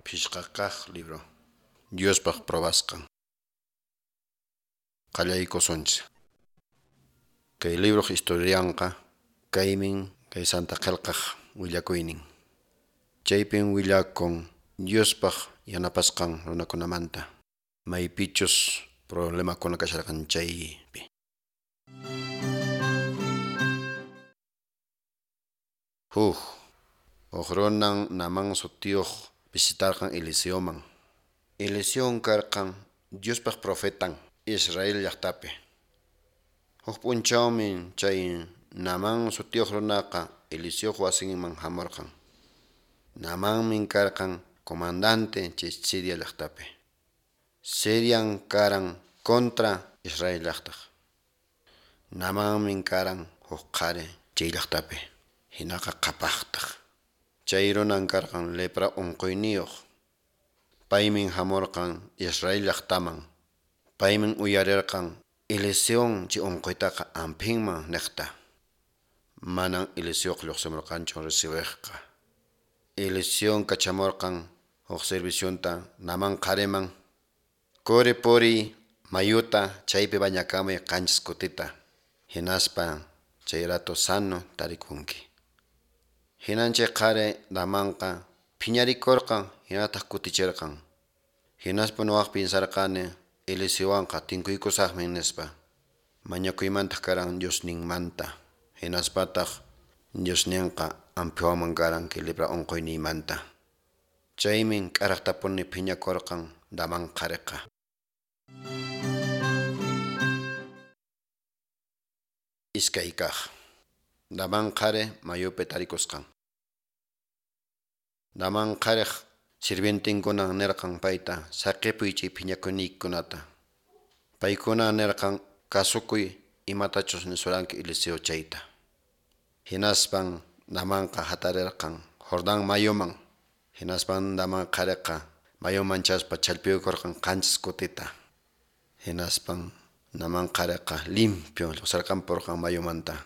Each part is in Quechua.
Phisqa kaq libro. Diospaq probasqan. Qallaykusunchis. Kay libroq historianqa kaymin kay Santa Qillqaq willakuynin. Chaypin willakun Diospaq yanapasqan runakunamanta. Maypichus problemakuna kasharqan chaypi. Huk huk runan Naamán sutiyuq visitarqan Eliseoman. Eliseon karqan Diospaq profetan Israel llaqtapi. Huk p'unchawmi chay Naamán sutiyuq runaqa Eliseoq wasinman hamurqan. Naamanmi karqan comandante chay Siria llaqtapi. Sirian karan contra Israel llaqtaq. Naamanmi karan huk qhari chay llaqtapi. Hinaqa qhapaqtaq. Chay runan karqan lepra unquyniyuq. Paymin hamurqan Israel llaqtaman. Paymin uyarirqan Eliseon chay unquytaqa ampinman niqta. Manan Eliseoq lluqsimurqanchu recibiqqa. Eliseon kachamurqan huk servicionta Naamán qhariman. Quri puriy mayuta chaypi bañakamuy qanchis kutita. Hinaspa chay rato sano tarikunki. Hinan chay qhari Naamanqa phiñarikurqan hinataq kutichirqan. Hinaspa nuwaq pinsarqani Eliseowanqa tinkuykusaqmi nispa. Mañakuymantaq karan Diosninmanta. Hinaspataq Diosninqa ampiwanman karan kay lepra unquyniymanta. Chaymin k'araqtapuni phiñakurqan Naamán qhariqa. Iskay kaq. Naamán qhari mayupi tarikusqan. Naamán qhariq sirvientinkunan nirqan payta saqipuy chay phiñakuyniykikunata. Paykuna nirqan kasukuy imatachus nisuranki Eliseo chayta. Hinaspan Naamanqa hatarirqan Jordán mayuman. Hinaspan Naamán qhariqa mayuman chaspa challpiyukurqan qanchis kutita. Hinaspan Naamán qhariqa limpio lluqsirqanpurqan mayumanta.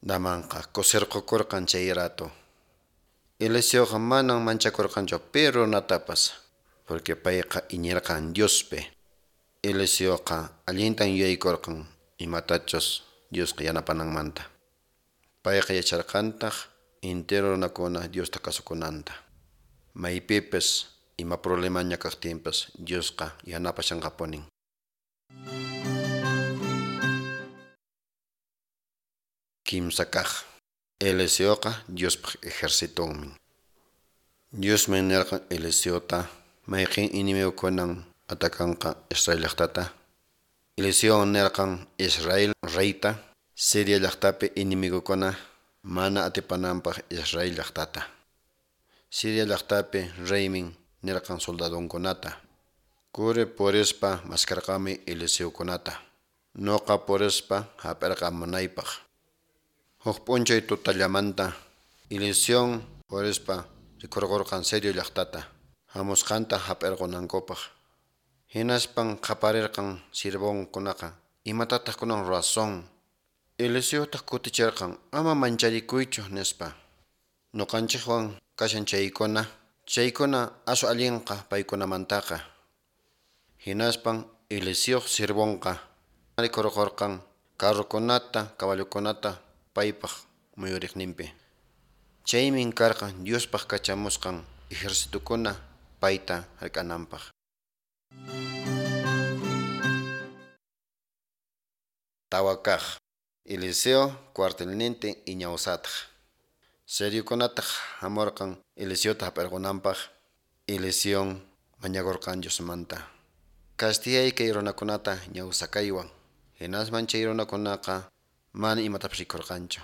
Naamanqa kusirqukurqan chay rato. Eliseoqa manan manchakurqanchu pi runatapas, porque payqa iñirqan Diospi. Eliseoqa allintan yuyaykurqan imatachus Diosqa yanapananmanta. Payqa yacharqantaq entero runakuna Diosta kasukunanta. Maypipis ima problemaña kaqtinpas Diosqa yanapashanqapunin. Kimsa kaq. Eliseoqa Diospaq ejercitonmi. Diosmi nirqan Eliseota mayqin enemigukunan atakanqa Israel llaqtata. Eliseo nirqan Israel reyta Siria llaqtapi enemigukuna mana atipananpaq Israel llaqtata. Siria llaqtapi reymin nirqan soldadonkunata. Quri purispa maskarqami Eliseokunata. Nuqa purispa hap'irqamunaypaq. Huk p'unchay tutallamanta Eliseon purispa rikurqurqan Sirio llaqtata hamusqanta hap'irqunankupaq. Hinaspan qaparirqan sirvonkunaqa imatataq kunan razón. Eliseotaq kutichirqan ama mancharikuychu nispa. Nuqanchikwan kashan chaykuna, chaykuna asu allinqa paykunamantaqa. Hinaspan Eliseoq sirvonqa rikurqurqan carrokunata, caballokunata paypaq muyuriqninpi. Chaymin karqan Diospaq kachamusqan ejercitukuna payta hark'ananpaq. Tawa kaq. Eliseo cuartelnintin iñawsataq. Siriokunataq hamurqan Eliseota hap'irqunanpaq. Eliseon mañakurqan Diosmanta. Castigay kay runakunata ñawsakaywan. Hinasman chay runakunaqa mana imatapas rikurqanchu.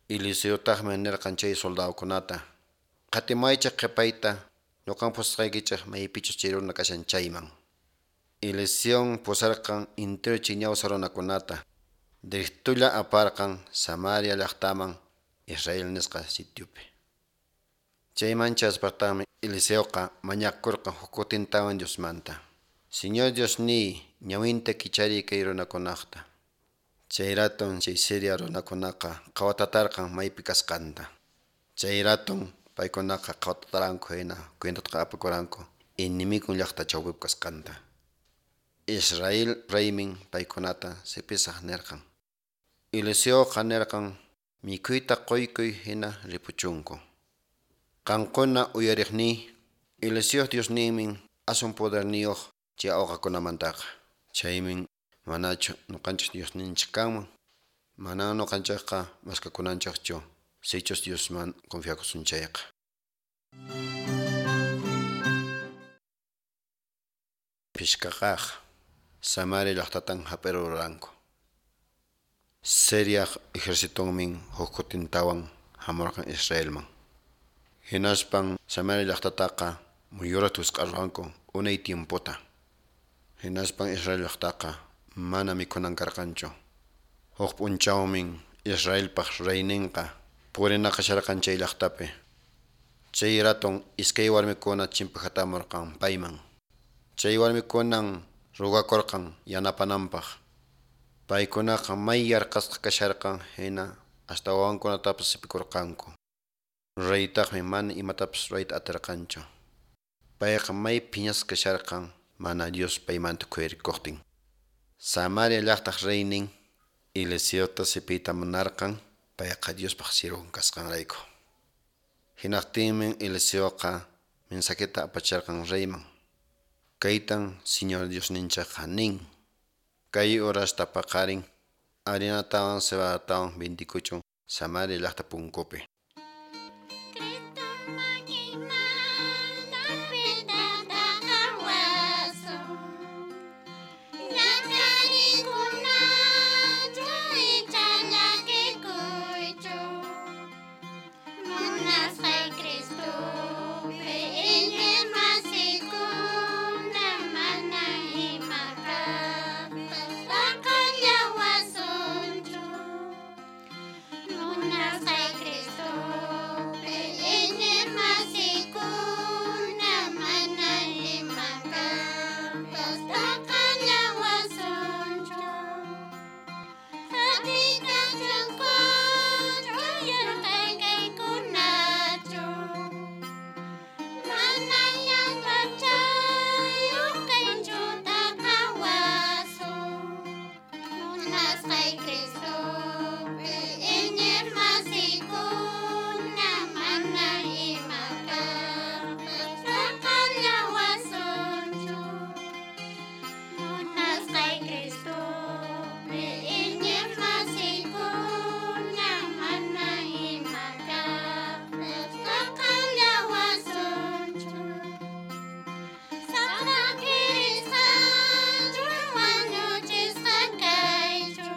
Eliseotaqmi nirqan chay soldadokunata. Qatimaychik qhipayta ñuqan pusasqaykichik maypichus chay runa kashan chayman. Eliseon pusarqan entero chay ñawsa runakunata. Directulla aparqan Samaria llaqtaman Israel nisqa sitiopi. Chayman chaspaqtaqmi Eliseoqa mañakurqan huk kutintawan Diosmanta. Señor Diosniy, ñawinta kichariy kay runakunaqta. Chay raton chay Siria runakunaqa qhawatatarqan maypi kasqanta. Chay raton Paykunaqa qhawataranku hina cuentataqa apakuranku enemigon llaqta chawpipi kasqanta. Israel reymin paykunata sipisaq nirqan. Eliseoqa nirqan mikhuyta quykuy hina ripuchunku. Qankuna uyariqniy, Eliseoq Diosninmin aswan poderniyuq chay awqakunamantaqa. Chaymin manachu ñuqanchik Diosninchik kanman? Manan ñuqanchikqa maskakunanchikchu sichus Diosman confiakusun chayqa. Phishqakaq, Samaria llaqtatan hap'iruranku. Siriaq ejercitonmin huk kutintawan hamurqan Israelman. Hinaspan Samaria llaqtataqa muyuriqta wisq'arqanku unay tiempota. Hinaspan Israel llaqtaqa mana mikhunan karqanchu. Huk p'unchawmin Israelpaq reyninqa purinaqasharqan chay llaqtapi. Chay raton iskay warmikuna chimpahatamurqan payman. Chay warmikunan rogakurqan yanapananpaq. Paykunaqa may yarqasqa kasharqan hina hasta wawankunatapas sipikurqanku. Reytaqmi mana imatapas rurayta atirqanchu. Payqa may phiñasqa kasharqan mana Dios paymanta khuyarikuqtin. Samaria llaqtaq reynin Eliseota sipiyta munarqan payqa Diospaq siervon kasqanrayku. Hinaqtinmi Eliseoqa mensajeta apacharqan reyman. Kaytan Señor Diosninchikqa nin: Kay horasta paqarin harinatawan cebadatawan vendikuchun Samaria llaqta punkupi. Cristo makinmanta qhawasun, ñak'ariykunachu icha llakikuychu, munasqay Cristopi iñiqmasikuna mana ima kaqpas t'aqallawasunchu, munasqay Cristopi iñiqmasikuna mana ima kaqpas t'aqallawasunchu, qatiykachunkuchu yarqay kaykunachu, mana llank'achayuq kaychu t'aqawasun, munasqay Cristopi iñiqmasikuna mana ima kaqpas t'aqallawasunchu, munasqay Cristopi iñiqmasikuna mana ima kaqpas t'aqallawasunchu, saqra kirisqanchu wañuchisqa kaychu,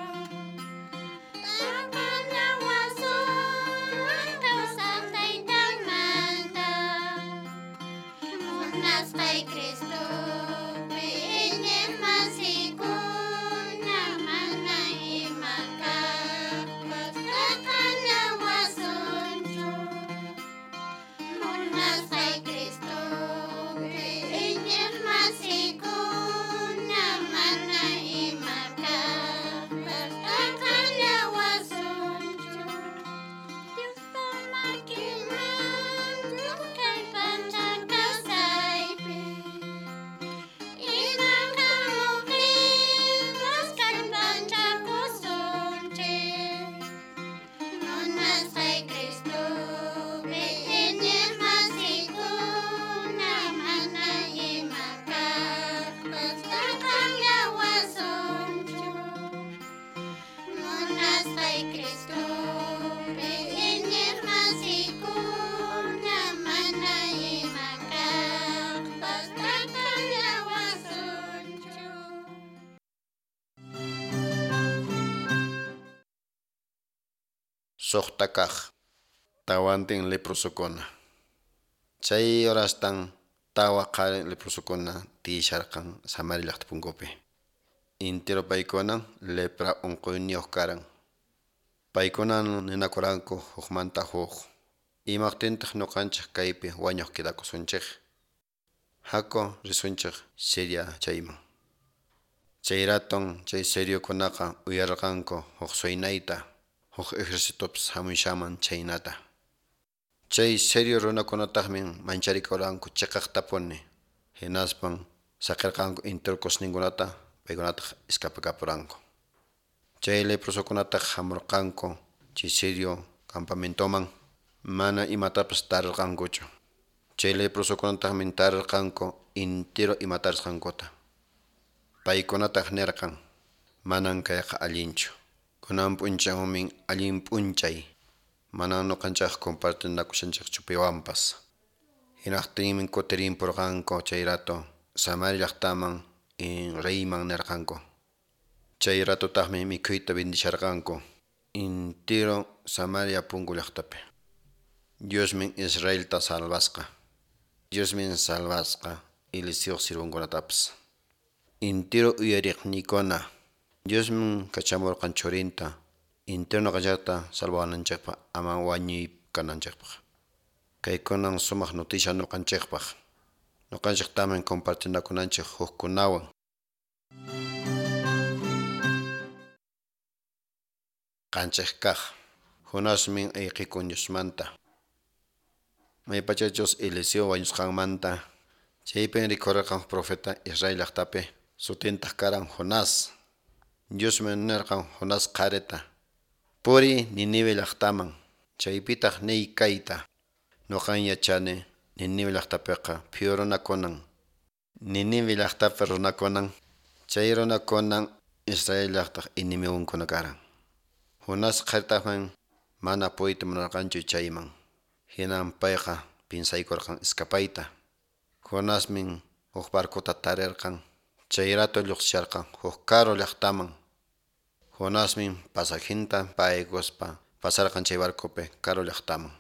t'aqallawasun kawsaq Taytamanta, munasqay Cristopi iñiqmasikuna mana ima kaqpas t'aqallawasunchu, munasqay Cristopi iñiqmasikuna mana ima kaqpas t'aqallawasunchu, Diospa makinmanchu kay pacha kawsaypi, ima hamuqtinpas kallpanchakusunchik, munasqay Cristopi iñiqmasikuna mana ima kaqpas t'aqallawasunchu, munasqay Cristopi iñiqmasikuna mana ima kaqpas t'aqallawasunchu. Suqta kaq, tawantin leprosokuna. Chay horastan tawa qhari leprosokuna tiyasharqan Samaria llaqta punkupi. Intero paykunan lepra unquyniyuq karan. Paykunan ninakuranku hukmanta huk. Imaqtintaq ñuqanchik kaypi wañuq quedakusunchik? Haku risunchik Siria chayman. Chay raton chay siriokunaqa uyarqanku huk suynayta, huk ejercitopas hamushaman chaynata. Chay sirio runakunataqmi mancharikuranku chiqaqtapuni. Hinaspan saqirqanku entero cosninkunata, paykunataq escapakapuranku. Chay leprosokunataq hamurqanku chay sirio campamentoman, mana imatapas tarirqankuchu. Chay leprosokunataqmi tarirqanku entero ima tarisqankuta. Paykunataq nirqan, manan kayqa allinchu. Kunan p'unchawmi allin p'unchay, manan ñuqanchik compartinakushanchikchu piwanpas. Hinaqtinmi kutirinpurqanku chay rato Samaria llaqtaman reyman nirqanku. Chay ratutaqmi mikhuyta bendisharqanku entero Samaria punku llaqtapi. Diosmi Israelta salvasqa. Diosmi salvasqa Eliseoq sirvunkunatapas. Entero uyariqniykuna, Diosmi kachamurqan churinta entero ñuqanchikta salvawananchikpaq ama wañuy kananchikpaq. Kaykunan sumaq noticia ñuqanchikpaq. Ñuqanchiktami compartinakunanchik hukkunawan. Qanchik kaq, Jonasmi ayqikun Diosmanta. Maypachachus Eliseo wañusqanmanta, chaypin rikurirqan profeta Israel llaqtapi, sutintaq karan Jonás. Diosmi nirqan Jonás qharita, puriy Ninive llaqtaman, chaypitaq niy kayta. Ñuqan yachani Ninive llaqtapiqa phiw runakunan. Ninive llaqtapi runakunan, chay runakunan Israel llaqtaq enemigunkuna karan. Jonás qharitaqmi mana puriyta munarqanchu chayman. Hinan payqa piensaykurqan escapayta. Jonasmi huk barcota tarirqan, chay rato lluqsisharqan huk karu llaqtaman. Jonasmi pasajinta paykuspa pasarqan chay barcopi karu llaqtaman.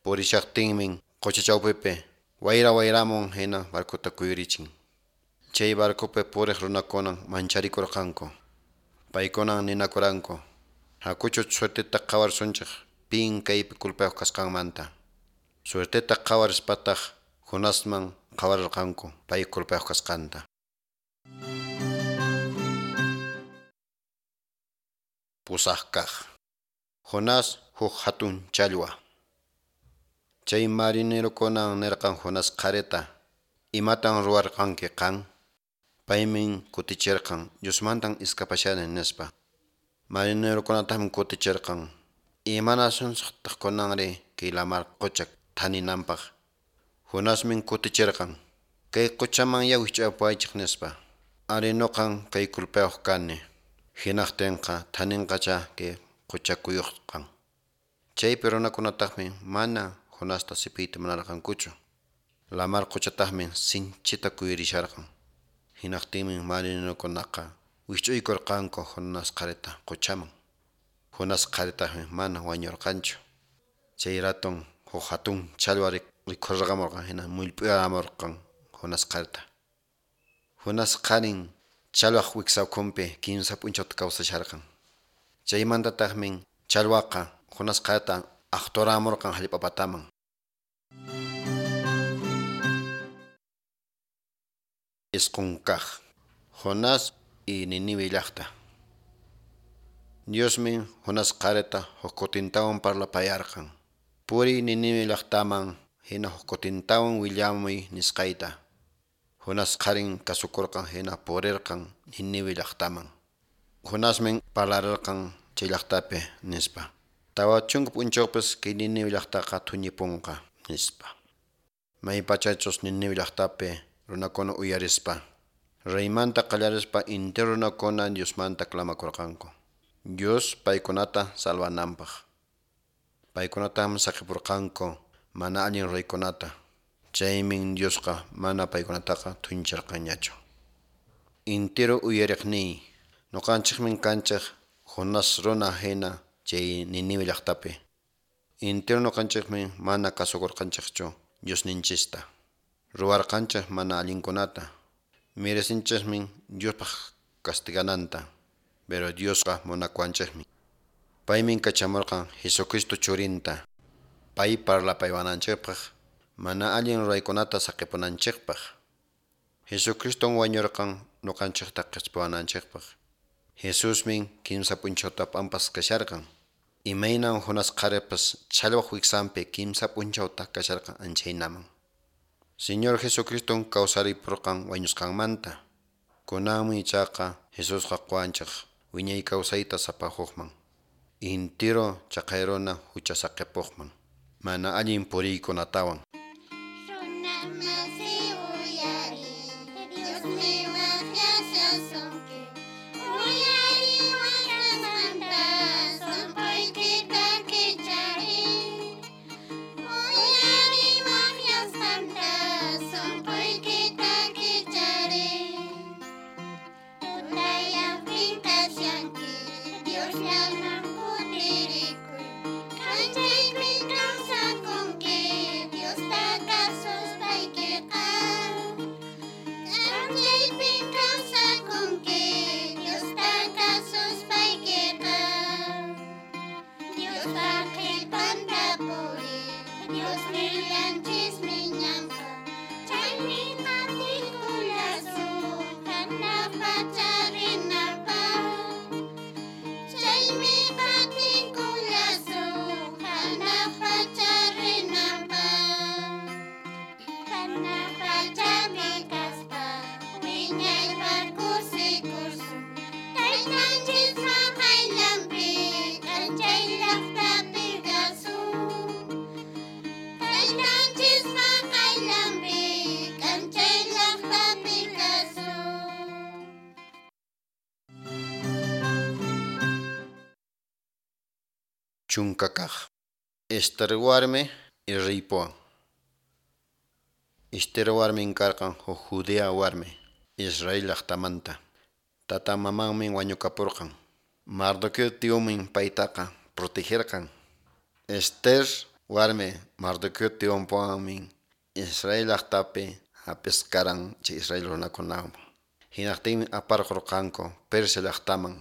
Purishaqtinmi qucha chawpipi wayra wayramun hina barcota kuyurichin. Chay barcopi puriq runakunan mancharikurqanku. Paykunan ninakuranku, hakuchu suerteta qhawarsunchik pin kaypi culpayuq kasqanmanta. Suerteta qhawarispataq Jonasman qhawarirqanku pay culpayuq kasqanta. Pusaq kaq, Jonás huk hatun challwa. Chay marinerokunan nirqan Jonás qharita, imatan ruwarqanki qan? Paymi kutichirqan, Diosmantan escapashani nispa. Marinerokunataqmi kutichirqan, imanasunsaqtaq kunanri kay lamar qucha thaninanpaq. Jonasmi kutichirqan, kay quchaman ya wich'apuwaychik nispa. Ari ñuqan kay culpayuq kani. Hinaqtinqa thaninqacha kay qucha kuyuqqan. Chaypi runakunataqmi mana Jonasta sipiyta munarqankuchu. Lamar quchataqmi sinchita kuyurisharqan. Hinaqtinmi marinerokunaqa wich'uykurqanku Jonás qharita quchaman. Jonás qharitaqmi mana wañurqanchu. Chay raton huk hatun challwa rikhurqamurqan hina mullp'uyaramurqan Jonás qharita. Jonás qharin challwaq wiksawkhunpi 3 p'unchawta kawsasharqan. Chaymantataqmi challwaqa Jonás qharita aqturamurqan hallp'a pataman. Isqun kaq, Jonás y Ninive llaqta. Diosmi Jonás qharita huk kutintawan parlapayarqan. Puriy Ninive llaqtaman hina huk kutintawan willamuy nisqayta. Jonás qharin kasukurqan hina purirqan Ninive llaqtaman. Jonasmi parlarirqan chay llaqtapi nispa. 40 p'unchawpas kay Ninive llaqtaqa thuñipunqa nispa. Maypachachus Ninive llaqtapi runakuna uyarispa, reymanta qallarispa entero runakuna Diosmanta clamakurqanku. Dios paykunata salvananpaq. Paykunataqmi saqipurqanku mana allin reykunata. Chaymi Diosqa mana paykunataqa thuñicharqanñachu. Entero uyariqniy, ñuqanchikmi kanchik Jonás runa hina chay Ninive llaqtapi. Entero ñuqanchikmi mana kasukurqanchikchu Diosninchista. Ruwarqanchik mana allinkunata. Merecinchikmi Diospaq castigananta, pero Diosqa munakuwanchikmi. Paymi kachamurqan Jesucristo churinta. Pay parlapaywananchikpaq mana allin ruraykunata saqipunanchikpaq. Jesucriston wañurqan ñuqanchikta qispiwananchikpaq. Jesusmi 3 p'unchawta p'ampas kasharqan. Imaynan Jonás qharipas challwaq wiksanpi kimsa p'unchawta kasharqan anchaynaman. Señor Jesucriston kawsaripurqan wañusqanmanta. Kunanmi ichaqa Jesusqa quwanchik wiñay kawsayta sapa hukman. Intiro chaqay runa hucha saqipuqman. Mana allin puriykunatawan. Runa masi uyariy, Diosmi waqyashasunki. Uyariy waqyasqanta, sunquykita kichariy. Uyariy waqyasqanta, sunquykita kichariy. Tutayaqpin kashanki, Diosllaman kutirikuy. K'anchaypin kawsakunki, Diosta kasuspaykiqa. K'anchaypin kawsakunki, Diosta kasuspaykiqa. Diospa qhipanta puriy, Diosnillanchismi ñanqa. Chaymi qatikullasun hanaq pacha rinapaq. Chaymi qatikullasun hanaq pacha rinapaq. Hanaq pachapi kaspa wiñaypaq kusikusun. Taytanchispa qayllanpi k'anchay llaqtapi kasun. Taytanchispa qayllanpi k'anchay llaqtapi kasun. Chunka kaq. Esther warmi riypuwan. Esther warmin karqan huk judía warmi, Israel llaqtamanta. Tata mamanmi wañukapurqan. Mardoqueo tiyunmi paytaqa protegerqan. Esther warmi Mardoqueo tiyunpuwanmi Israel llaqtapi hap'isqaran chay Israel runakunawan. Hinaqtinmi aparqurqanku Persia llaqtaman.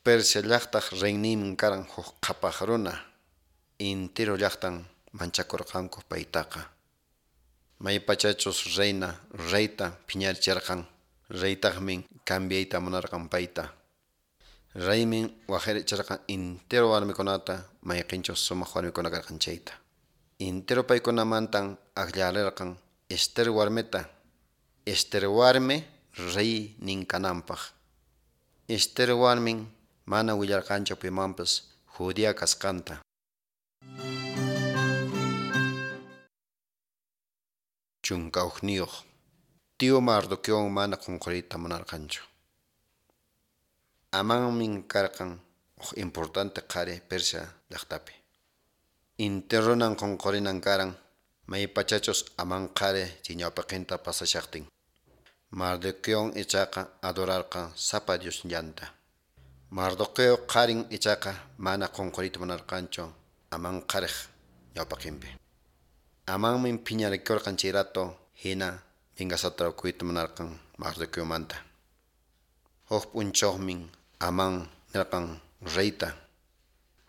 Persia llaqtaq reyninmi karan huk qhapaq runa. Intiro llaqtan manchakurqanku paytaqa. Maypachachus reina reyta phiñarichirqan, reytaqmi cambiayta munarqan payta. Reymi waqharichirqan intiro warmikunata mayqinchus sumaq warmikuna karqan chayta. Intiro paykunamantan akllarirqan Esther warmita. Esther warmi reynin kananpaq. Esther warmin mana willarqanchu pimanpas judía kasqanta. 11. Tío Mardoqueowan mana qunquriyta munarqanchu. Amanmi karqan huk importante qhari Persia llaqtapi. Intirunan qunqurinan karan maypachachus Amán qhari chay ñawpaqinta pasashaqtin. Mardoqueon ichaqa adorarqan sapa Diosllanta. Mardoqueo qharin ichaqa mana qunquriyta munarqanchu Amán qhariq ñawpaqinpi. Amanmi phiñarikurqan chay rato hina vengasata rukuyta munarqan Mardoqueomanta. Huk p'unchawmi Amán nirqan reyta: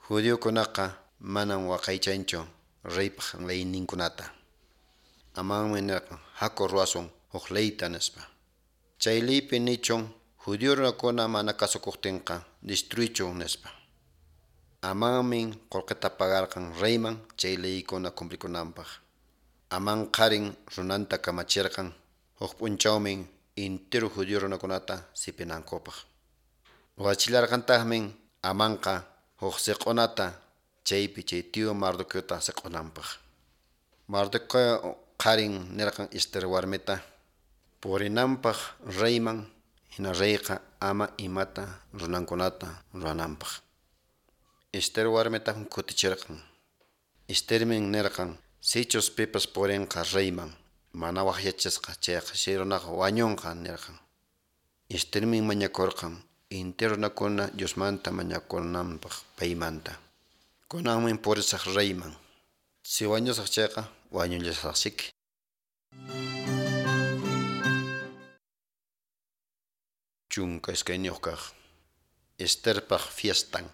Judiokunaqa manam waqaychanchu reypaq leyninkunata. Amanmi nirqan haku ruwasun huk leyta nispa. Chay leypi nichun judío runakuna mana kasukuqtinqa destruichun nispa. Amanmi qullqita pagarqan reyman chay leykuna cumplikunanpaq. Amán qharin runanta kamachirqan huk p'unchawmi intiro judío runakunata sipinankupaq. Ruwachillarqantaqmi Amanqa huk siq'unata chaypi chay tío Mardoqueota siq'unanpaq. Mardoqueo qharin nirqan Esther warmita purinanpaq reyman hina reyqa ama imata runankunata ruwananpaq. Esther warmitaq kutichirqan. Esthermi nirqan sichus pipas purinqa reyman mana waqyachisqa chayqa chay runaqa wañunqa nirqan. Esthermi mañakurqan intiro runakuna Diosmanta mañakunanpaq paymanta. Kunanmi purisaq reyman. Si wañusaq chayqa wañullasaqsiki. 12 kaq. Estherpaq fiestan.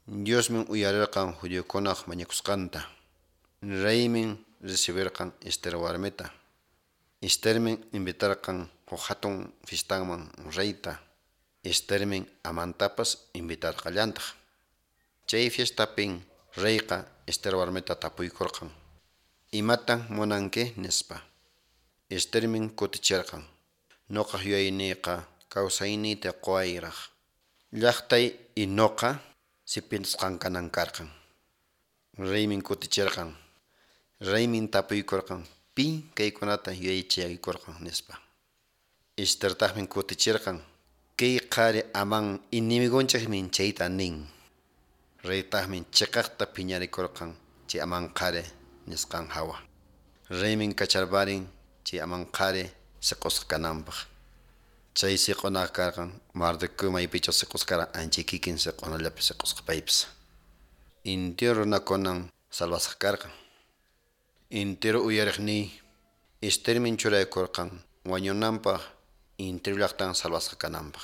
Diosmi uyarirqan judiokunaq mañakusqanta. Reymi recibirqan Esther warmita. Esthermi invitarqan huk hatun fiestaman reyta. Esthermi Amantapas invitarqallantaq. Chay fiestapin reyqa Ester warmita tapuykurqan, Imatan munanki? nispa. Estermin kutichirqan, Noqaq yuyayniyqa kawsayniyta qowayraq. Llaqtay y noqa sipintisqan kanan karqan. Reymin kutichirqan. Reymin tapuykurqan, Pin kaykunata yuyaychaykurqan? nispa. Estertaqmi kutichirqan, Kay qhari Amán enemigonchikmi chayta nin. Reytaqmi chiqaqta phiñarikurqan chay Amán qhari nisqan hawa. Reymin kacharparin chay Amán qhari siq'usqa kananpaq. Chay siq'unaqa karqan Mardoqueo maypichus siq'usqa karan ancha kikin siq'unallapi siq'usqa paypis. Intiro runakunan salvasqa karqan. Intiro uyariqniy Estermin churaykurqan wañunanpaq intiro llaqtan salvasqa kananpaq.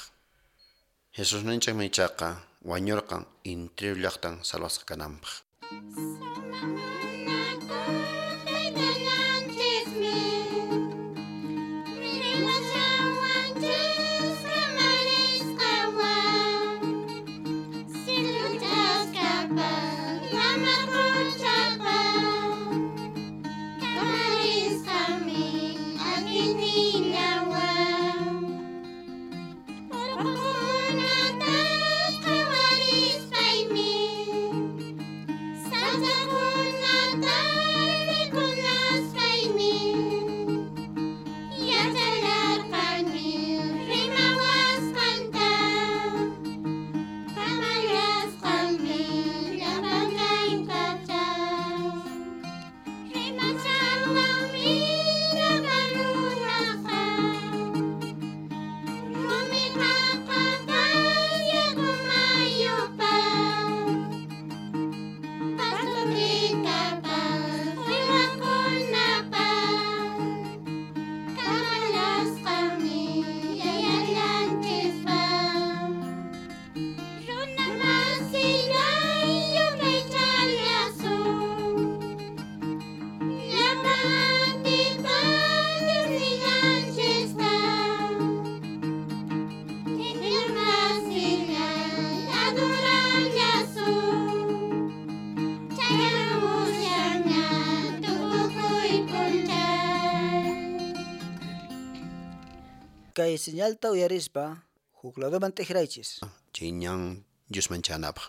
Jesusninchikmi ichaqa wañurqan intiro llaqtan salvasqa kananpaq. Kay señalta uyarispa huk ladoman t'ikraychis. Chay ñan Diosman chanapaq.